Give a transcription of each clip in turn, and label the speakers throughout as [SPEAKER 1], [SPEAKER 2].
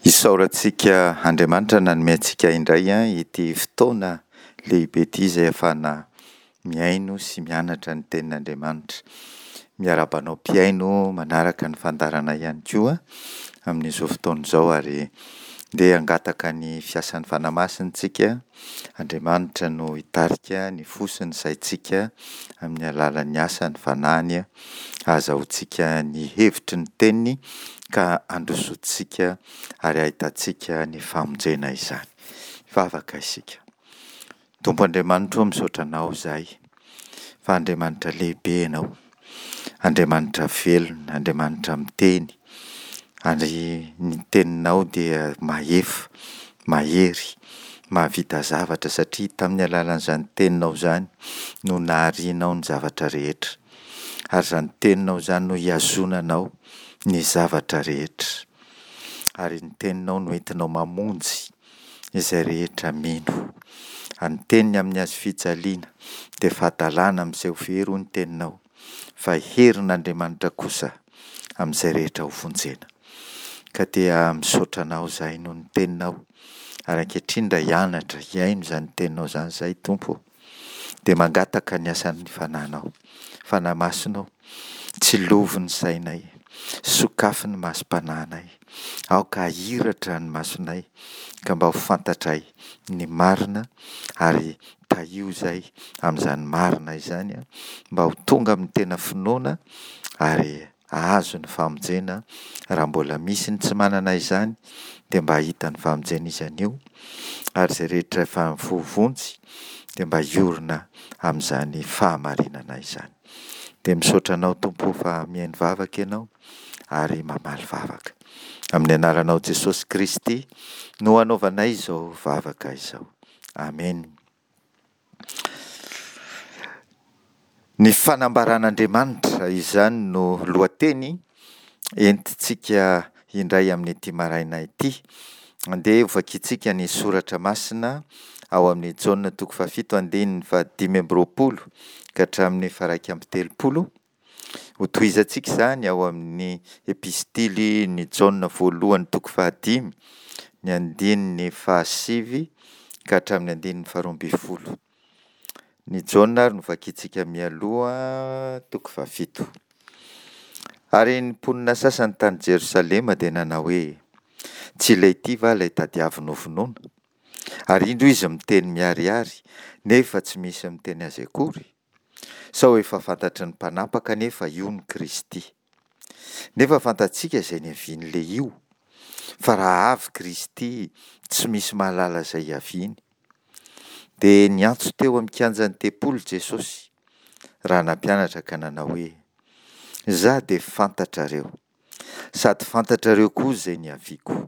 [SPEAKER 1] Isaorantsika Andriamanitra nanome antsika indray ity fotoana lehibe ity izay ahafahana mihaino sy mianatra ny tenin'Andriamanitra. Miarahaba anao mpihaino manaraka ny fandaharana ihany koa amin'izao fotoana izao ary ndeha hangataka ny fiasan'ny Fanahy Masina isika. Andriamanitra no hitarika ny fo sy ny saintsika amin'ny alalan'ny asan'ny Fanahiny hahazahoantsika ny hevitry ny teniny ka handrosoantsika ary hahitantsika ny famonjena izany. Hivavaka isika. Tompo Andriamanitro ô, misaotra Anao izahay fa Andriamanitra lehibe Ianao, Andriamanitra velona, Andriamanitra miteny, ary ny teninao dia mahefa, mahery, mahavita zavatra satria tamin'ny alalan'izany teninao izany no naharianao ny zavatra rehetra. Ary izany teninao izany no hihazonanao ny zavatra rehetra. Ary ny teninao no entinao mamonjy izay rehetra mino. Ary ny teniny amin'ny hazo fijaliana dia fahadalana amin'izay ho very hoy ny teninao, fa herin'Andriamanitra kosa amin'izay rehetra ho vonjena. Ka dia misaotra anao izahay noho ny teninao, ary ankehitriny raha hianatra hihaino izany teninao izany izahay Tompo ô, dia mangataka ny asan'ny Fanahinao. Fanahy Masina ô, tsilovy ny sainay, sokafy ny masom-panahinay, aoka hahiratra ny masonay ka mba ho fantatray ny marina ary tahio izay amin'izany marina izany mba ho tonga amin'ny tena finoana ary hahazo ny famonjena, raha mbola misy ny tsy manana izany dia mba hahita ny famonjena izy anio, ary izay rehetra efa voavonjy dia mba hiorina amin'izany fahamarinana izany. Dia misaotra anao Tompo o fa mihaino vavaka Ianao ary mamaly vavaka. Amin'ny anaranao Jesosy Kristy no anaovanay izao vavaka izao. Amena. Ny fanambaran'Andriamanitra, izany no lohateny entintsika indray amin'ity maraina ity. Andeha hovakintsika ny soratra masina ao amin'ny Jaona toko fahafito andininy fahadimy amby roapolo ka hatramin'ny faha-31. Hotohizantsika izany ao amin'ny epistily ny Jaona voalohany toko fahadimy, ny andininy fahasivy ka hatramin'ny andininy faharoa ambin'ny folo. Ny Jaona ary no vakintsika mialoha, toko fahafito. Ary ny mponina sasany tany Jerosalema dia nanao hoe, Tsy ilay ity va ilay tadiaviny hovonoina? Ary indro izy miteny miharihary, nefa tsy misy miteny azy akory. Sao efa fantatry ny mpanapaka anefa io ny Kristy. Nefa fantatsika izay niavian'ilay io, fa raha avy Kristy, tsy misy mahalala izay hiaviany. Dia niantso teo amin'ny kianjan'ny tempoly Jesosy, raha nampianatra ka nanao hoe, Izaho dia fantatrareo, sady fantatrareo koa izay niaviako.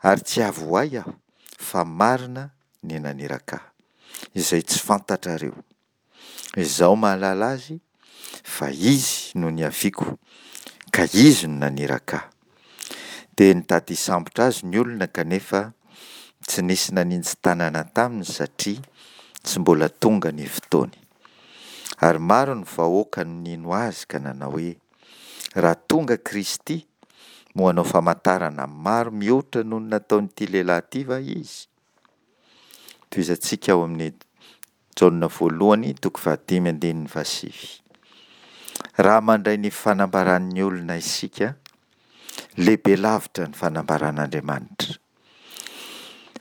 [SPEAKER 1] Ary tsy avy ho ahy aho, fa marina ny naniraka ahy, izay tsy fantatrareo. Izaho mahalala azy, fa izy no niaviako, ka izy no naniraka ahy. Dia nitady hisambotra azy ny olona, kanefa tsy nisy naninji-tanana taminy, satria tsy mbola tonga ny fotoany. Ary maro ny vahoaka no nino azy ka nanao hoe, Raha tonga Kristy, moa hanao famantarana maro mihoatra noho ny nataon'ity lehilahy ity va izy? Tohizantsika ao amin'ny Jaona voalohany toko fahadimy andininy fahasivy. Raha mandray ny fanambaran'ny olona isika, lehibe lavitra ny fanambaran'Andriamanitra.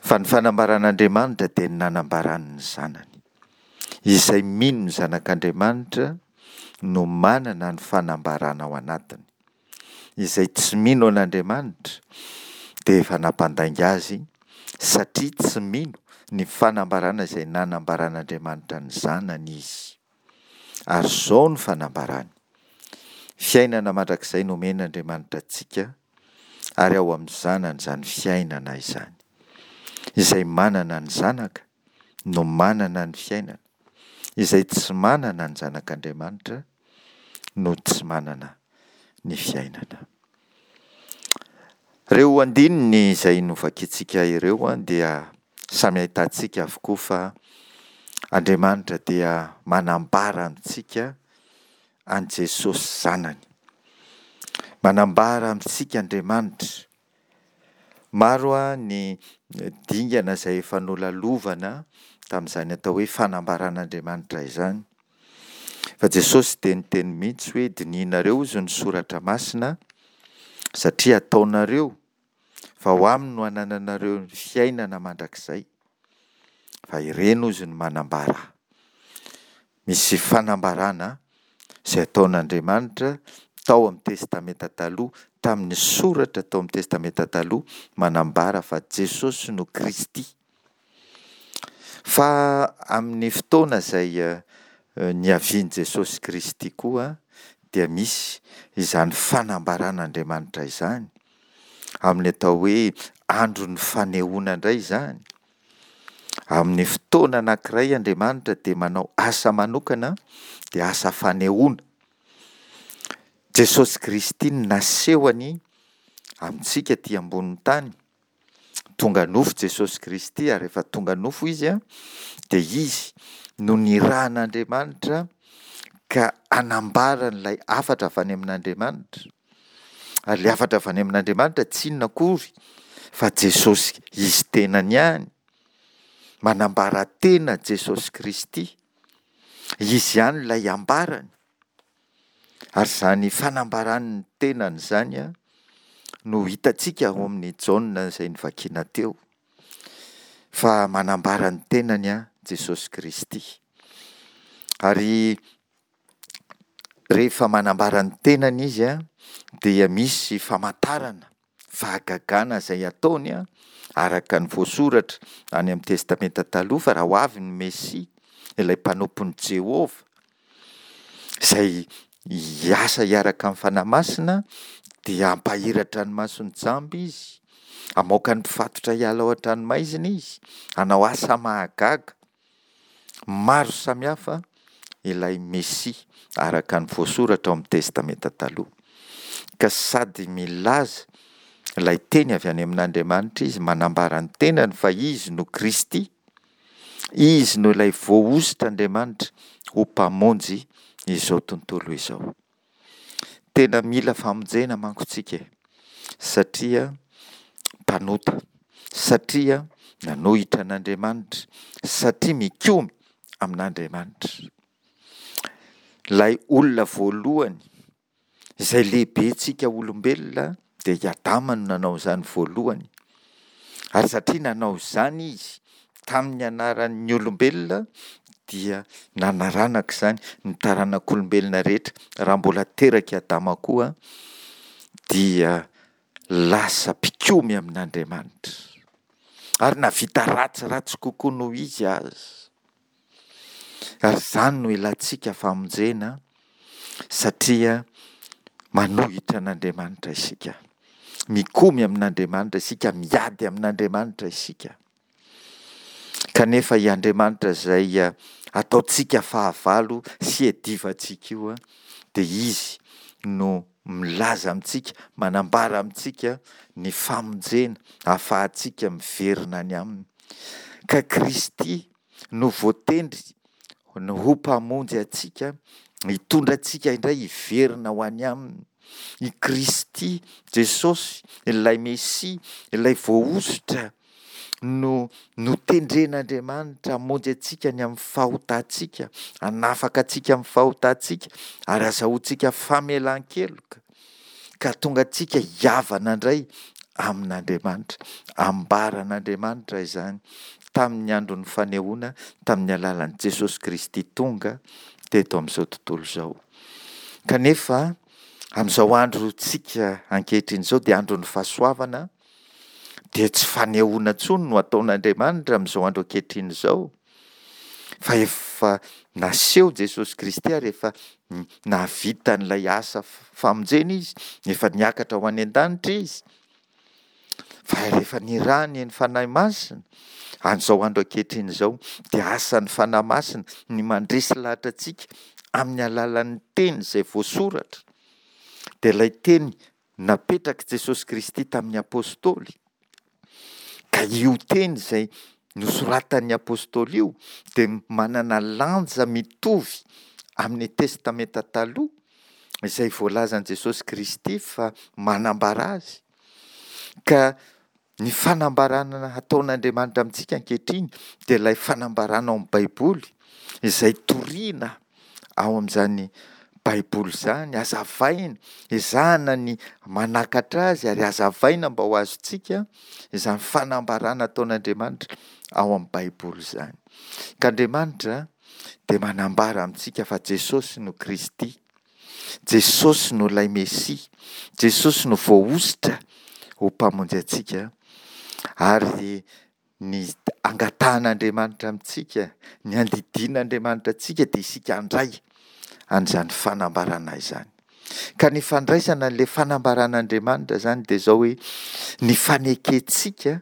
[SPEAKER 1] Fa ny fanambaran'Andriamanitra dia ny nanambarany ny Zanany. Izay mino ny Zanak'Andriamanitra no manana ny fanambarana ao anatiny. Izay tsy mino an'Andriamanitra dia efa nampandainga azy satria tsy mino ny fanambarana izay nanambaran'Andriamanitra ny Zanany izy. Ary izao no fanambarany, Fiainana mandrakizay nomen'Andriamanitra antsika, ary ao amin'ny Zanany izany fiainana izany. Izay manana ny Zanaka no manana ny fiainana, izay tsy manana ny Zanak'Andriamanitra no tsy manana ny fiainana. Ireo andininy izay novakintsika ireo dia samy ahitantsika avokoa fa Andriamanitra dia manambara amintsika an'i Jesosy Zanany. Manambara amintsika Andriamanitra. Maro ny dingana izay efa nolalovana tamin'izany atao hoe fanambaran'Andriamanitra izany. Fa Jesosy dia niteny mihitsy hoe dinihinareo hozy ny soratra masina satria ataonareo fa ao aminy no anananareo ny fiainana mandrakizay. Fa ireny hozy no manambara ahy. Misy fanambarana izay ataon'Andriamanitra tao amin'ny Testamenta Taloha, tamin'ny soratra tao amin'ny Testamenta Taloha manambara fa Jesosy no Kristy. Fa amin'ny fotoana izay niavian'i Jesosy Kristy koa dia misy izany fanambaran'Andriamanitra izany, amin'ny atao hoe andron'ny fanehoana indray izany. Amin'ny fotoana anankiray Andriamanitra dia manao asa manokana, dia asa fanehoana. Jesosy Kristy no nasehony amintsika aty ambonin'ny tany. Tonga nofo Jesosy Kristy ary rehefa tonga nofo Izy dia Izy no nirahan'Andriamanitra ka hanambara an'ilay hafatra avy any amin'Andriamanitra. Ary ilay hafatra avy any amin'Andriamanitra tsy inona akory fa Jesosy Izy tenany ihany. Manambara tena Jesosy Kristy. Izy ihany ilay ambarany. Ary izany fanambarany ny tenany izany no hitantsika ao amin'ny Jaona izay novakiana teo, fa manambara ny tenany Jesosy Kristy. Ary rehefa manambara ny tenany Izy dia misy famantarana fahagagana izay ataony araka ny voasoratra any amin'ny Testamenta Taloha fa raha ho avy ny Mesia, ilay mpanompon'i Jehovah, izay hiasa hiaraka amin'ny Fanahy Masina, dia hampahiratra ny mason'ny jamba izy, hamoaka ny mpifatotra hiala ao an-tranomaizina izy, hanao asa mahagaga. Maro samihafa ilay Mesia araka ny voasoratra ao amin'ny Testamenta Taloha. Ka sady milaza ilay teny avy any amin'Andriamanitra izy, manambara ny tenany fa izy no Kristy, izy no ilay voahosotr'Andriamanitra ho Mpamonjy izao tontolo izao. Tena mila famonjena manko tsika e, satria mpanota, satria nanohitra an'Andriamanitra, satria mikomy amin'Andriamanitra. Ilay olona voalohany izay lehibentsika olombelona dia i Adama no nanao izany voalohany. Ary satria nanao izany izy tamin'ny anaran'ny olombelona dia nanaranaka izany ny taranak'olombelona rehetra. Raha mbola terak'i Adama koa dia lasa mpikomy amin'Andriamanitra. Ary nahavita ratsiratsy kokoa noho izy aza. Ary izany no ilantsika famonjena satria manohitra an'Andriamanitra isika. Mikomy amin'Andriamanitra isika, miady amin'Andriamanitra isika. Kanefa i Andriamanitra izay ataontsika fahavalo sy iadivantsika io dia Izy no milaza amintsika, manambara amintsika ny famonjena ahafahantsika miverina any Aminy. Ka Kristy no voatendry ho Mpamonjy antsika, hitondra antsika indray hiverina ho any Aminy. I Kristy Jesosy, ilay Mesia, ilay voahosotra no notendren'Andriamanitra hamonjy antsika ny amin'ny fahotantsika, hanafaka antsika amin'ny fahotantsika ary hazahoantsika famelan-keloka ka hahatonga antsika hihavana indray amin'Andriamanitra. Ambaran'Andriamanitra izany tamin'ny andron'ny fanehoana tamin'ny alalan'i Jesosy Kristy tonga teto amin'izao tontolo izao. Kanefa amin'izao androntsika ankehitriny izao dia andron'ny fahasoavana, dia tsy fanehoana intsony no ataon'Andriamanitra amin'izao andro ankehitriny izao, fa efa naseho Jesosy Kristy ary efa nahavita an'ilay asa famonjena Izy, efa niakatra ho any an-danitra Izy, fa rehefa nirahany ny Fanahy Masina, amin'izao andro ankehitriny izao, dia asan'ny Fanahy Masina ny mandresy lahatra antsika amin'ny alalan'ny teny izay voasoratra, dia ilay teny napetrak'i Jesosy Kristy tamin'ny Apostoly, ka io teny izay nosoratan'ny Apostoly io dia manana lanja mitovy amin'ny Testamenta Taloha izay voalazan'i Jesosy Kristy fa manambara azy. Ka. Ny fanambarana ataon'Andriamanitra amintsika ankehitriny dia ilay fanambarana ao amin'ny Baiboly izay toriana ao amin'izany Baiboly izany, hazavaina, ezahana ny manakatra azy ary hazavaina mba ho azontsika izany fanambarana ataon'Andriamanitra ao amin'ny Baiboly izany. Ka Andriamanitra dia manambara amintsika fa Jesosy no Kristy. Jesosy no ilay Mesia, Jesosy no voahosotra ho Mpamonjy antsika, ary ny angatahan'Andriamanitra amintsika, ny andidian'Andriamanitra antsika dia isika handray an'izany fanambarana izany. Ka ny fandraisana an'ilay fanambaran'Andriamanitra izany dia izao hoe ny fanekentsika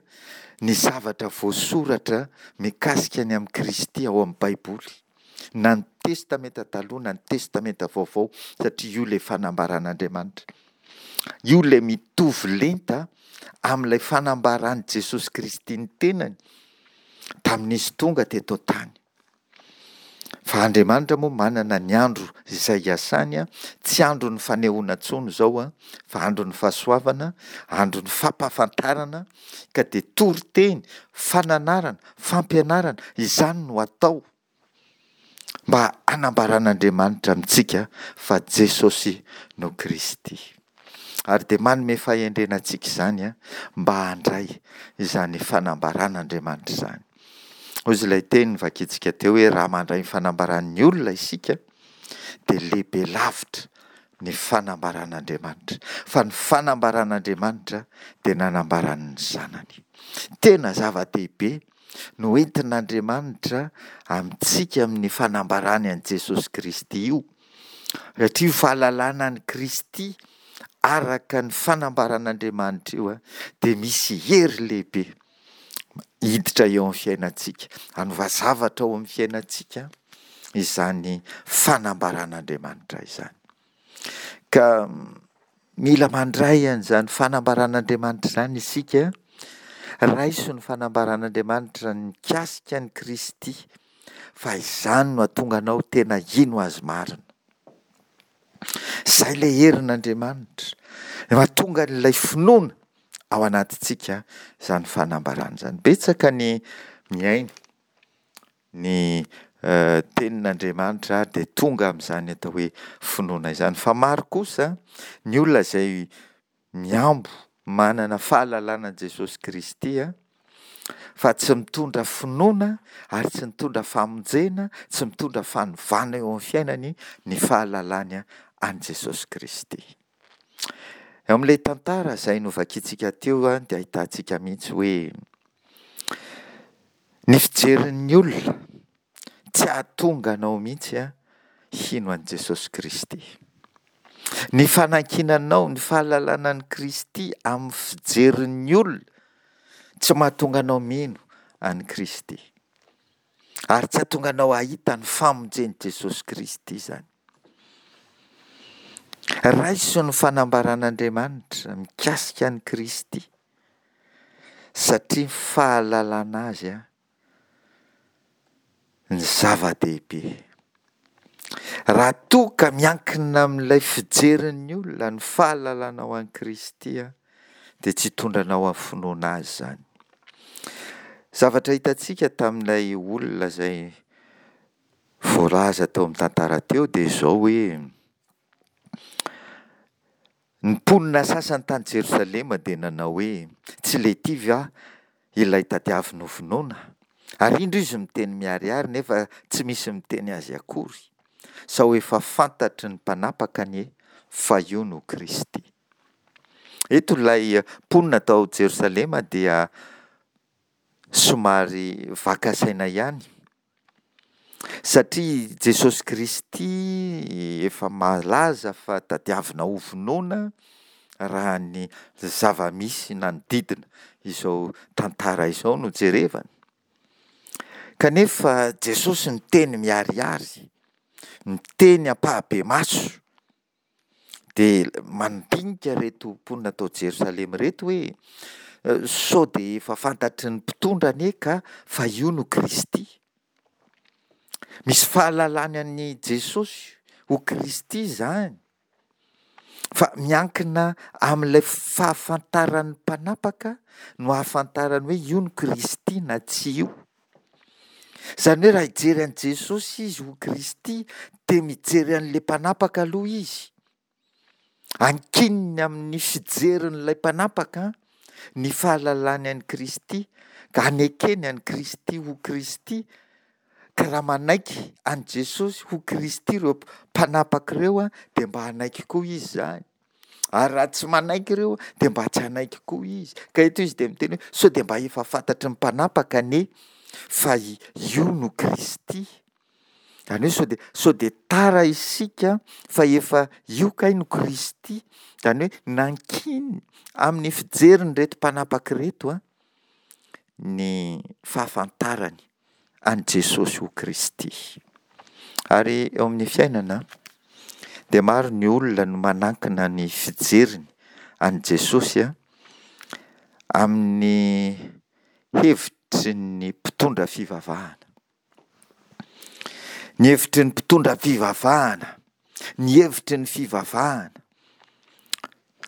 [SPEAKER 1] ny zavatra voasoratra mikasika ny amin'i Kristy ao amin'ny Baiboly. na ny Testamenta Taloha na ny Testamenta Vaovao, satria io ilay fanambaran'Andriamanitra. Io ilay mitovy lenta amin'ilay fanambaran'i Jesosy Kristy ny tenany tamin'izy tonga teto an-tany. Fa Andriamanitra moa manana ny andro izay iasany, tsy andron'ny fanehoana intsony izao fa andron'ny fahasoavana, andron'ny fampahafantarana, ka dia toriteny, fananarana, fampianarana, izany no atao mba hanambaran'Andriamanitra amintsika fa Jesosy no Kristy. Ary dia manome fahendrena antsika izany mba handray izany fanambaran'Andriamanitra izany. Hoy izy ilay teny novakintsika teo hoe raha mandray ny fanambaran'ny olona isika dia lehibe lavitra ny fanambaran'Andriamanitra. Fa ny fanambaran'Andriamanitra dia nanambarany ny Zanany. Tena zava-dehibe no entin'Andriamanitra amintsika amin'ny fanambarany an'i Jesosy Kristy io. Satria io fahalalana an'i Kristy araka ny fanambaran'Andriamanitra io dia misy hery lehibe hiditra eo amin'ny fiainantsika, hanova zavatra ao amin'ny fiainantsika izany fanambaran'Andriamanitra izany. Ka mila mandray an'izany fanambaran'Andriamanitra izany isika, raiso ny fanambaran'Andriamanitra mikasika an'i Kristy fa izany no hahatonga anao tena hino Azy marina. Izay ilay herin'Andriamanitra, mahatonga an'ilay finoana ao anatintsika izany fanambarana izany. Betsaka ny mihaino ny tenin'Andriamanitra dia tonga amin'izany atao hoe finoana izany. Fa maro kosa ny olona izay mihambo manana fahalalana an'i Jesosy Kristy fa tsy mitondra finoana ary tsy mitondra famonjena, tsy mitondra fanovana eo amin'ny fiainany ny fahalalany an'i Jesosy Kristy. Eo amin'ilay tantara izay novakintsika teo dia ahitantsika mihitsy hoe ny fijerin'ny olona tsy hahatonga anao mihitsy hino an'i Jesosy Kristy. Ny fanankinanao ny fahalalana an'i Kristy amin'ny fijerin'ny olona tsy mahatonga anao mino an'i Kristy. Ary tsy hahatonga anao hahita ny famonjen'i Jesosy Kristy izany. Raiso ny fanambaran'Andriamanitra mikasika an'i Kristy satria ny fahalalana azy ny zava-dehibe. Raha toa ka miankina amin'ilay fijerin'ny olona ny fahalalanao an'i Kristy dia tsy hitondra anao amin'ny finoana Azy izany. Zavatra hitantsika tamin'ilay olona izay voalaza teo amin'ny tantara teo dia izao hoe, Ny mponina sasany tany Jerosalema dia nanao hoe, Tsy Lety va ilay tadiaviny hovonoina? Ary indro izy miteny miharihary, nefa tsy misy miteny azy akory. Sao efa fantatry ny mpanapaka anie fa io no Kristy. Eto ilay mponina tao Jerosalema dia somary vaka saina ihany satria Jesosy Kristy efa malaza fa tadiavina ho vonoina raha ny zava-misy nanodidina izao tantara izao no jerevana. Kanefa Jesosy miteny miharihary, miteny ampahabemaso Dia mandinika ireto mponina tao Jerosalema ireto hoe, sao dia efa fantatry ny mpitondra anie ka fa io no Kristy. Misy fahalalany an'i Jesosy ho Kristy izany. Fa miankina amin'ilay fahafantaran'ny mpanapaka no ahafantarany hoe io no Kristy na tsy io. Izany hoe raha hijery an'i Jesosy izy ho Kristy dia mijery an'ilay mpanapaka aloha izy. Ankininy amin'ny fijerin'ilay mpanapaka ny fahalalany an'i Kristy ka anekeny an'i Kristy ho Kristy, ka raha manaiky an'i Jesosy ho Kristy ireo mpanapaka ireo dia mba hanaiky koa izy izany, ary raha tsy manaiky ireo dia mba tsy hanaiky koa izy. Ka eto izy dia miteny hoe sao dia mba efa fantatry ny mpanapaka anie fa io no Kristy. Izany hoe sao dia, sao dia tara isika fa efa io kay no Kristy. Izany hoe nankininy amin'ny fijerin'ireto mpanapaka ireto ny fahafantarany an'i Jesosy ho Kristy. Ary eo amin'ny fiainana dia maro ny olona no manankina ny fijeriny an'i Jesosy amin'ny hevitry ny mpitondra fivavahana. Ny hevitry ny mpitondra fivavahana, ny hevitry ny fivavahana.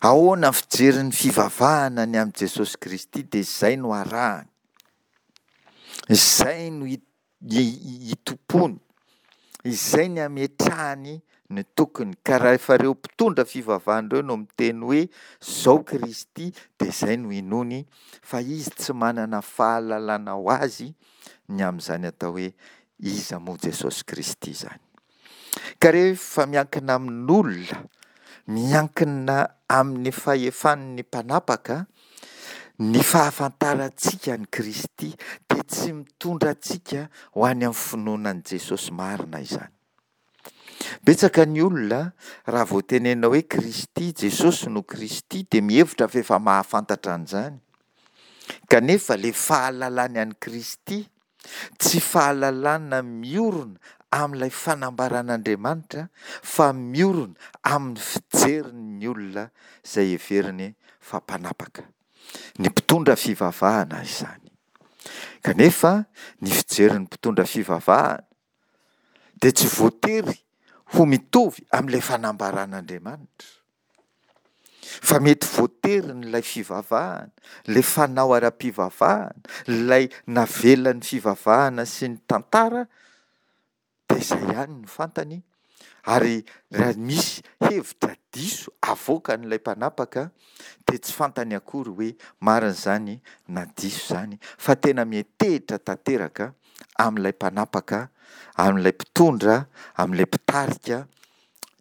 [SPEAKER 1] Ahoana ny fijerin'ny fivavahana ny amin'i Jesosy Kristy dia izay no arahany. Izay no itompoany. Izay ny ametrahany ny tokony. Ka rahefa ireo mpitondra fivavahana ireo no miteny hoe izao Kristy dia izay no inoany fa izy tsy manana fahalalana ho azy ny amin'izany atao hoe iza moa Jesosy Kristy izany. Ka rehefa miankina amin'olona, miankina amin'ny fahefan'ny mpanapaka, ny fahafantarantsika an'i Kristy dia tsy mitondra antsika ho any amin'ny finoana an'i Jesosy marina izany. Betsaka ny olona raha vao tenenina hoe Kristy, Jesosy no Kristy dia mihevitra fa efa mahafantatra an'izany. Kanefa ilay fahalalany an'i Kristy tsy fahalalana miorina amin'ilay fanambaran'Andriamanitra fa miorina amin'ny fijerin'ny olona izay heveriny fa mpanapaka. Ny mpitondra fivavahana izany. Kanefa ny fijerin'ny mpitondra fivavahana dia tsy voatery ho mitovy amin'ilay fanambaran'Andriamanitra. Fa mety voaterin'ilay fivavahana, ilay fanao ara-pivavahana, ilay navelan'ny fivavahana sy ny tantara, dia izay ihany no fantany, ary raha misy hevitra diso avoakan'ilay mpanapaka dia tsy fantany akory hoe marina izany na diso izany, fa tena miantehitra tanteraka amin'ilay mpanapaka, amin'ilay mpitondra, amin'ilay mpitarika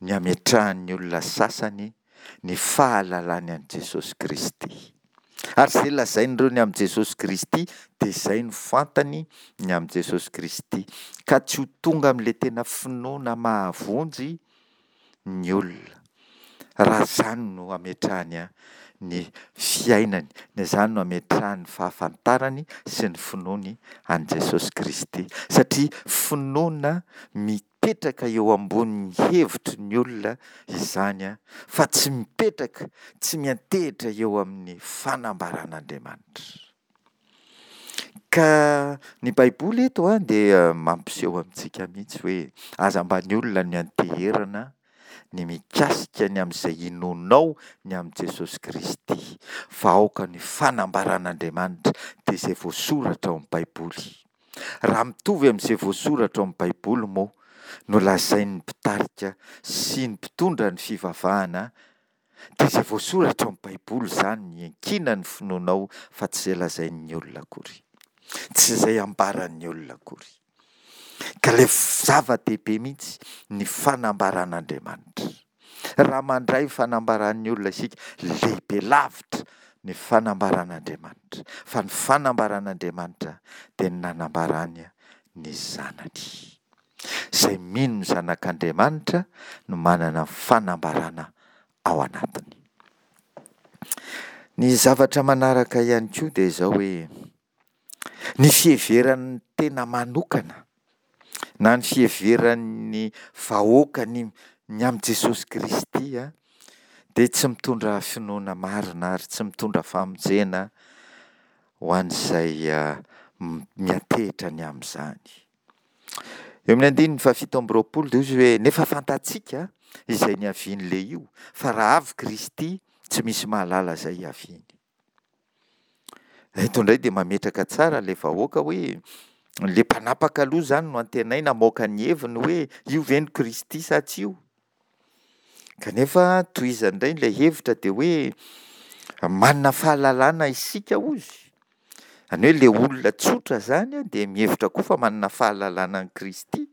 [SPEAKER 1] ny hametrahan'ny olona sasany ny fahalalany an'i Jesosy Kristy. Ary izay lazain'ireo ny amin'i Jesosy Kristy dia izay no fantany ny amin'i Jesosy Kristy. Ka tsy ho tonga amin'ilay tena finoana mahavonjy ny olona raha izany no ametrahany ny fiainany, na izany no ametrahany ny fahafantarany sy ny finoany an'i Jesosy Kristy. Satria finoana mipetraka eo ambonin'ny hevitry ny olona izany fa tsy mipetraka, tsy miantehitra eo amin'ny fanambaran'Andriamanitra. Ka ny Baiboly eto dia mampiseho amintsika mihitsy hoe aza mba ny olona no ianteherana ny mikasika ny amin'izay inoanao ny amin'i Jesosy Kristy fa aoka ny fanambaran'Andriamanitra dia izay voasoratra ao amin'ny Baiboly. Raha mitovy amin'izay voasoratra ao amin'ny Baiboly moa no lazain'ny mpitarika sy ny mpitondra ny fivavahana Dia izay voasoratra ao amin'ny Baiboly izany no iankinan'ny finoanao fa tsy izay lazain'ny olona akory. Tsy izay ambaran'ny olona akory. Ka ilay zava-dehibe mihitsy ny fanambaran'Andriamanitra. Raha mandray fanambaran'ny olona isika, lehibe lavitra ny fanambaran'Andriamanitra. Fa ny fanambaran'Andriamanitra dia ny nanambarany ny Zanany. Izay mino ny Zanak'Andriamanitra no manana fanambarana ao anatiny. Ny zavatra manaraka ihany koa dia izao hoe, ny fiheveran'ny tena manokana na ny fiheveran'ny vahoaka ny ny amin'i Jesosy Kristy dia tsy mitondra finoana marina ary tsy mitondra famonjena ho an'izay miantehitra ny amin'izany. Eo amin'ny andininy fahafito amby roapolo dia hoy izy hoe, Nefa fantatsika. izay niavian'ilay io, fa raha avy Kristy, tsy misy mahalala izay hiaviany. Eto indray dia mametraka tsara ilay vahoaka hoe ilay mpanapaka aloha izany no antenaina hamoaka ny heviny hoe io ve no Kristy sa tsy io? Kanefa tohizany indray ilay hevitra dia hoe manana fahalalana isika hozy. Izany hoe ilay olona tsotra izany dia mihevitra koa fa manana fahalalana an'i Kristy.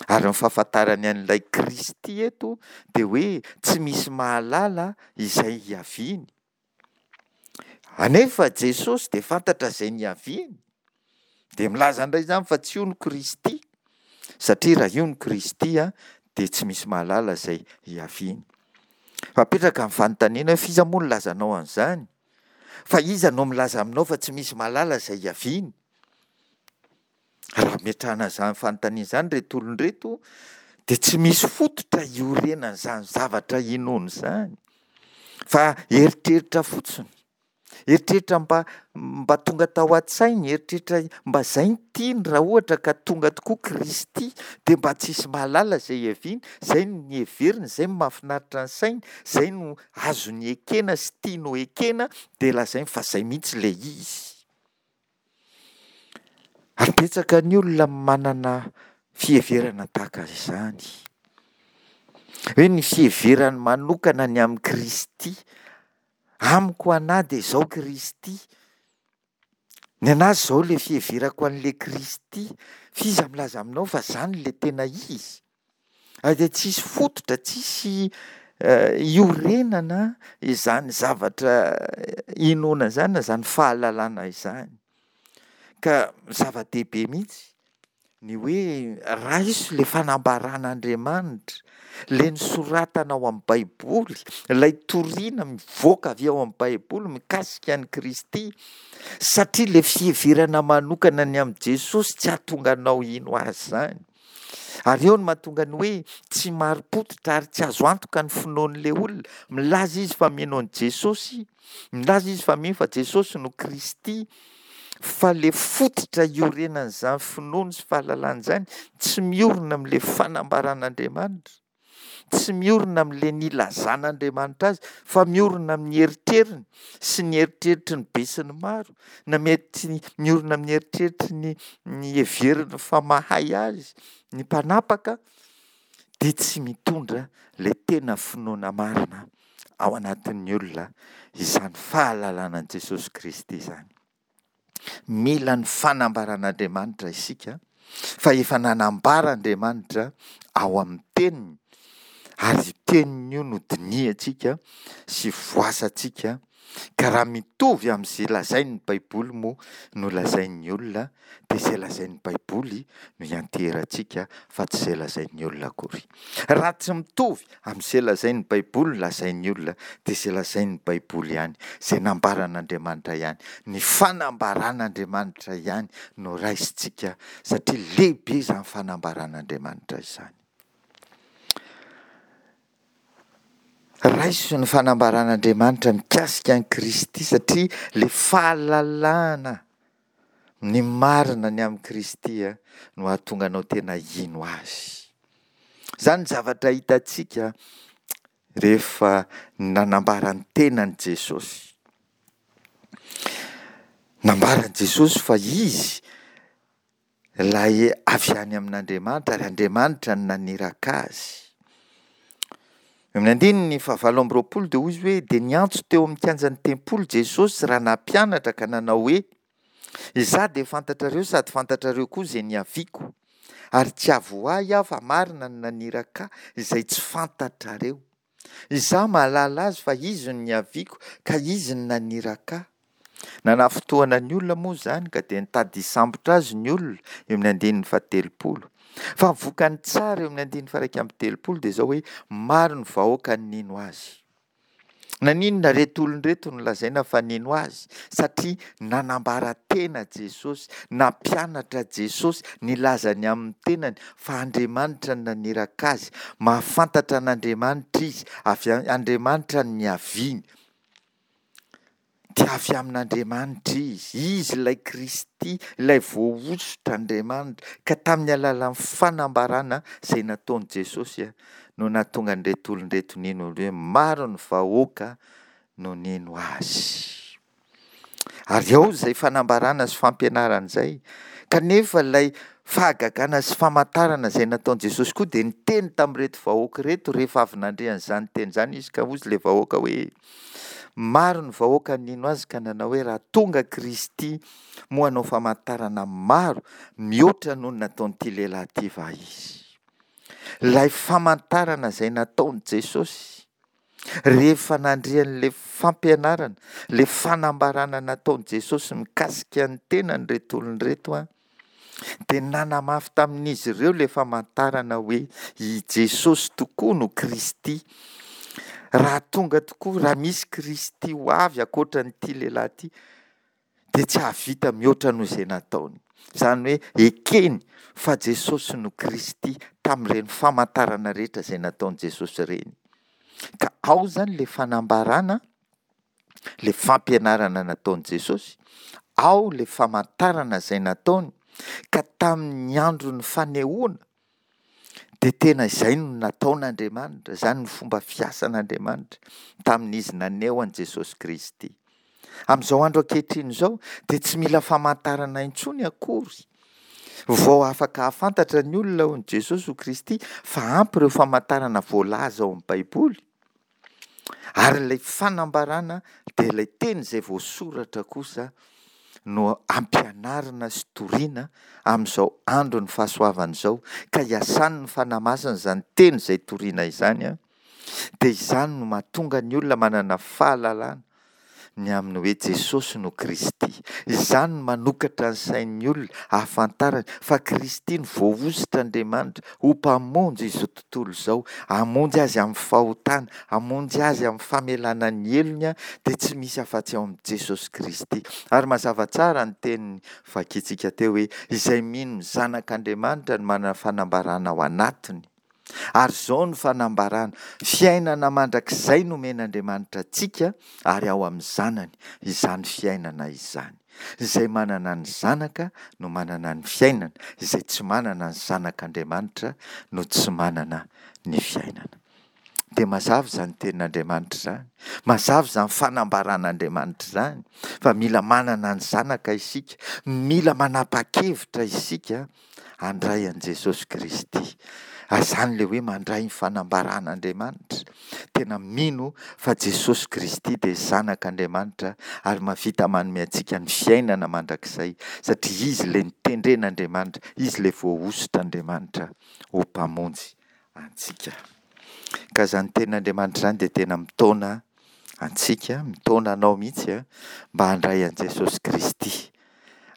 [SPEAKER 1] Ary ny fahafantarany an'ilay Kristy eto dia hoe tsy misy mahalala izay hiaviany. Anefa Jesosy dia fantatra izay niaviany. Dia milaza indray izany fa tsy io no Kristy, satria raha io no Kristy dia tsy misy mahalala izay hiaviany. Fa apetraka ny fanontaniana hoe f'iza moa no nilazanao an'izany? Fa iza no milaza aminao fa tsy misy mahalala izay hiaviany? Raha ametrahana izany fanontaniana izany ireto olona ireto dia tsy misy fototra iorenan'izany zavatra inoana izany fa eritreritra fotsiny. Eritreritra mba mba tonga tao an-tsainy, eritreritra mba izay no tiany raha ohatra ka tonga tokoa Kristy dia mba tsisy mahalala izay hiaviany, izay no heveriny, izay no mahafinaritra ny sainy, izay no azony ekena sy tiany ho ekena dia lazainy fa izay mihitsy ilay izy. Ary betsaka ny olona manana fiheverana tahaka izany. Hoe ny fiheverany manokana ny amin'i Kristy. Amiko anà dia izao Kristy. Ny anà izao ilay fiheverako an'ilay Kristy. F'iza milaza aminao fa izany ilay tena izy? Ary dia tsisy fototra, tsisy iorenana izany zavatra inoana izany na izany fahalalana izany. Ka zava-dehibe mihitsy ny hoe raiso ilay fanambaran'Andriamanitra, ilay nosoratana ao amin'ny Baiboly, ilay toriana mivoaka avy ao amin'ny Baiboly mikasika an'i Kristy, satria ilay fiheverana manokana ny amin'i Jesosy tsy hahatonga anao hino azy izany. Ary eo no mahatonga ny hoe tsy marim-pototra ary tsy azo antoka ny finoan'ilay olona. Milaza izy fa mino an'i Jesosy, milaza izy fa mino fa Jesosy no Kristy, fa ilay fototra iorenan'izany finoany sy fahalalany izany tsy miorina amin'ilay fanambaran'Andriamanitra. Tsy miorina amin'ilay nilazan'Andriamanitra azy fa miorina amin'ny eritreriny sy ny eritreritry ny besinimaro, na mety miorina amin'ny eritreritry ny ny heveriny fa mahay azy ny mpanapaka dia tsy mitondra ilay tena finoana marina ao anatin'ny olona izany fahalalana an'i Jesosy Kristy izany. Mila ny fanambaran'Andriamanitra isika fa efa nanambara Andriamanitra ao amin'ny teniny ary io teniny io no dinihantsika sy voasantsika ka raha mitovy amin'izay lazain'ny Baiboly moa no lazain'ny olona dia izay lazain'ny Baiboly no ianteherantsika fa tsy izay lazain'ny olona akory. Raha tsy mitovy Amin'izay lazain'ny Baiboly no lazain'ny olona, dia izay lazain'ny Baiboly ihany, izay nambaran'Andriamanitra ihany, ny fanambaran'Andriamanitra ihany no raisintsika, satria lehibe izany fanambaran'Andriamanitra izany. Raiso ny fanambaran'Andriamanitra mikasika an'i Kristy, satria ilay fahalalana ny marina ny amin'i Kristy no hahatonga anao tena hino Azy. Izany ny zavatra hitantsika rehefa nanambara ny tenany Jesosy. Nambaran'i Jesosy fa Izy ilay avy any amin'Andriamanitra ary Andriamanitra no naniraka Azy. Eo amin'ny andininy fahavalo amby roapolo dia hoy izy hoe dia niantso teo amin'ny kianjan'ny tempoly Jesosy raha nampianatra ka nanao hoe Izaho dia fantatrareo sady fantatrareo koa izay niaviako, ary tsy avy ho ahy aho fa marina ny naniraka ahy izay tsy fantatrareo. Izaho mahalala azy fa izy no niaviako ka izy no naniraka ahy. Nanafintohina ny olona moa izany ka dia nitady hisambotra azy ny olona eo amin'ny andininy fahatelopolo. Fa ny vokany tsara eo amin'ny andininy faha-31 dia izao hoe maro ny vahoaka nino azy. Naninona ireto olona ireto no lazaina fa nino azy? Satria nanambara tena Jesosy, nampianatra Jesosy, nilaza ny amin'ny tenany fa Andriamanitra no naniraka azy, mahafantatra an'Andriamanitra izy, avy Andriamanitra no niaviany. Dia avy amin'Andriamanitra izy, izy ilay Kristy, ilay voahosotr'Andriamanitra, ka tamin'ny alalan'ny fanambarana izay nataon'i Jesosy. no nahatonga an'ireto olona ireto nino hoe maro ny vahoaka no nino azy. Ary ao izay fanambarana sy fampianarana izay, kanefa ilay fahagagana sy famantarana izay nataon'i Jesosy koa dia niteny tamin'ireto vahoaka ireto rehefa avy nandre an'izany teny izany izy ka hozy ilay vahoaka hoe, maro ny vahoaka nino azy ka nanao hoe raha tonga Kristy moa hanao famantarana maro mihoatra noho ny nataon'ity lehilahy ity va izy. Ilay famantarana izay nataon'i Jesosy rehefa nandre an'ilay fampianarana, ilay fanambarana nataon'i Jesosy mikasika ny tenany ireto olona ireto an, dia nanamafy tamin'izy ireo ilay famantarana hoe i Jesosy tokoa no Kristy. Raha tonga tokoa, raha misy Kristy ho avy ankoatra an'ity lehilahy ity, dia tsy hahavita mihoatra noho izay nataony. Izany hoe ekeny fa Jesosy no Kristy tamin'ireny famantarana rehetra izay nataon'i Jesosy ireny. Ka ao izany ilay fanambarana, ilay fampianarana nataon'i Jesosy, ao ilay famantarana izay nataony, ka tamin'ny andron'ny fanehoana dia tena izay no nataon'Andriamanitra, izany ny fomba fiasan'Andriamanitra tamin'izy naneho an'i Jesosy Kristy. Amin'izao andro ankehitriny izao dia tsy mila famantarana intsony akory vao afaka hahafantatra ny olona ho Jesosy ho Kristy fa ampy ireo famantarana voalaza ao amin'ny Baiboly. Ary ilay fanambarana dia ilay teny izay voasoratra kosa no ampianarina sy torina amin'izao andron'ny fahasoavana izao ka iasan'ny Fanahy Masina izany teny izay torina izany dia izany no mahatonga ny olona manana fahalalana ny amin'ny hoe Jesosy no Kristy. Izany no manokatra ny sain'ny olona hahafantarany fa Kristy no voahosotr'Andriamanitra ho Mpamonjy izao tontolo izao, hamonjy azy amin'ny fahotana, hamonjy azy amin'ny famelana ny helony dia tsy misy afa-tsy ao amin'i Jesosy Kristy. Ary mazava tsara ny teny vakintsika teo hoe izay mino ny Zanak'Andriamanitra no manana fanambarana ao anatiny. Ary izao no fanambarana, fiainana mandrakizay nomen'Andriamanitra antsika ary ao amin'ny Zanany izany fiainana izany. Izay manana ny Zanaka no manana ny fiainana, izay tsy manana ny Zanak'Andriamanitra no tsy manana ny fiainana. Dia mazava izany tenin'Andriamanitra izany, mazava izany fanambaran'Andriamanitra izany fa mila manana ny Zanaka isika, mila manapa-kevitra isika handray an'i Jesosy Kristy. Ary izany ilay hoe mandray ny fanambaran'Andriamanitra. Tena mino fa Jesosy Kristy dia Zanak'Andriamanitra ary mahavita manome antsika ny fiainana mandrakizay satria Izy ilay notendren'Andriamanitra, Izy ilay voahosotr'Andriamanitra ho Mpamonjy antsika. Ka izany tenin'Andriamanitra izany dia tena mitaona antsika, mitaona anao mihitsy mba handray an'i Jesosy Kristy.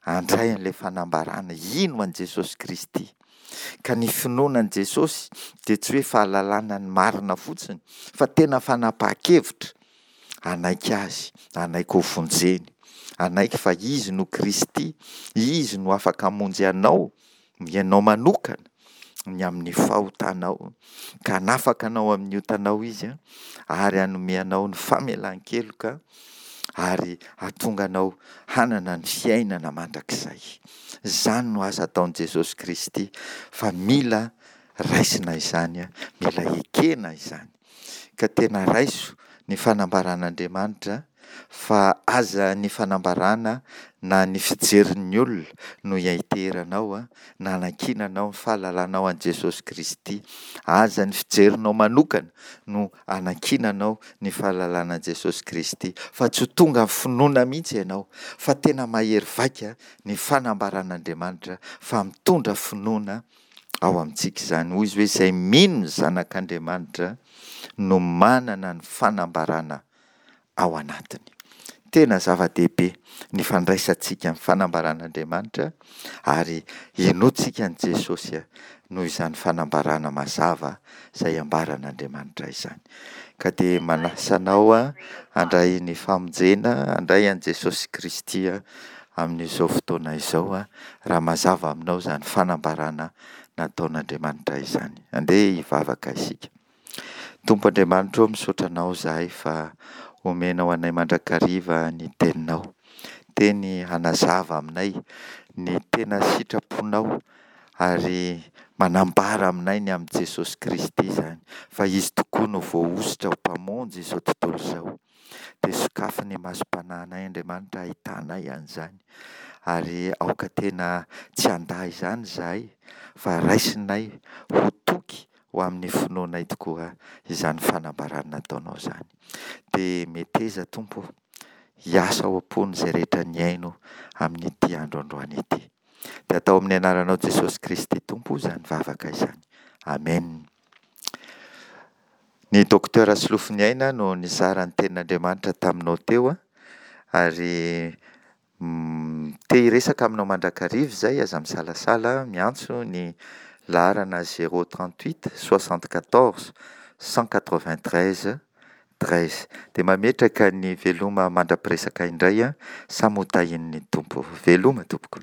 [SPEAKER 1] Handray an'ilay fanambarana, hino an'i Jesosy Kristy. Ka ny finoana an'i Jesosy dia tsy hoe fahalalana ny marina fotsiny, fa tena fanapahan-kevitra hanaiky Azy, hanaiky ho vonjeny, hanaiky fa Izy no Kristy, Izy no afaka hamonjy anao ianao manokana ny amin'ny fahotanao, ka hanafaka anao amin'ny otanao Izy ary hanome anao ny famelan-keloka ary hahatonga anao hanana ny fiainana mandrakizay. Izany no asa ataon'i Jesosy Kristy fa mila raisina izany, mila ekena izany. Ka tena raiso ny fanambaran'Andriamanitra fa aza ny fanambarana na ny fijerin'ny olona no ianteheranao na anankinanao ny fahalalanao an'i Jesosy Kristy. Aza ny fijerinao manokana no anankinanao ny fahalalana an'i Jesosy Kristy fa tsy ho tonga amin'ny finoana mihitsy ianao fa tena mahery vaika ny fanambaran'Andriamanitra fa mitondra finoana ao amintsika izany. Hoy izy hoe izay mino ny Zanak'Andriamanitra no manana ny fanambarana ao anatiny. Tena zava-dehibe ny fandraisantsika ny fanambaran'Andriamanitra ary henointsika an'i Jesosy noho izany fanambarana mazava izay ambaran'Andriamanitra izany. Ka dia manasa anao handray ny famonjena, handray an'i Jesosy Kristy amin'izao fotoana izao raha mazava aminao izany fanambarana nataon'Andriamanitra izany. Andeha hivavaka isika. Tompo Andriamanitra ô, misaotra Anao izahay fa omenao anay mandrakariva ny Teninao. Teny hanazava aminay ny tena sitraponao ary Manambara aminay ny amin'i Jesosy Kristy izany, fa Izy tokoa no voahosotra ho Mpamonjy izao tontolo izao. Dia sokafy ny masom-panahinay Andriamanitra hahitanay an'izany, ary aoka tena tsy handà izany izahay, fa raisinay ho toky ho amin'ny finoanay tokoa izany fanambarana nataonao izany. Dia meteza Tompo ô, hiasa ao am-pon'izay rehetra nihaino amin'ity andro androany ity. Dia atao amin'ny anaranao Jesosy Kristy Tompo izany vavaka izany. Amen. Ny Docteur Solofoniaina no nizara ny tenin'Andriamanitra taminao teo ary te hiresaka aminao mandrakariva izay, aza misalasala miantso ny laharana 038 74 193 13. Dia mametraka ny veloma mandra-piresaka indray, samy ho tahian'ny Tompo. Veloma tompoko.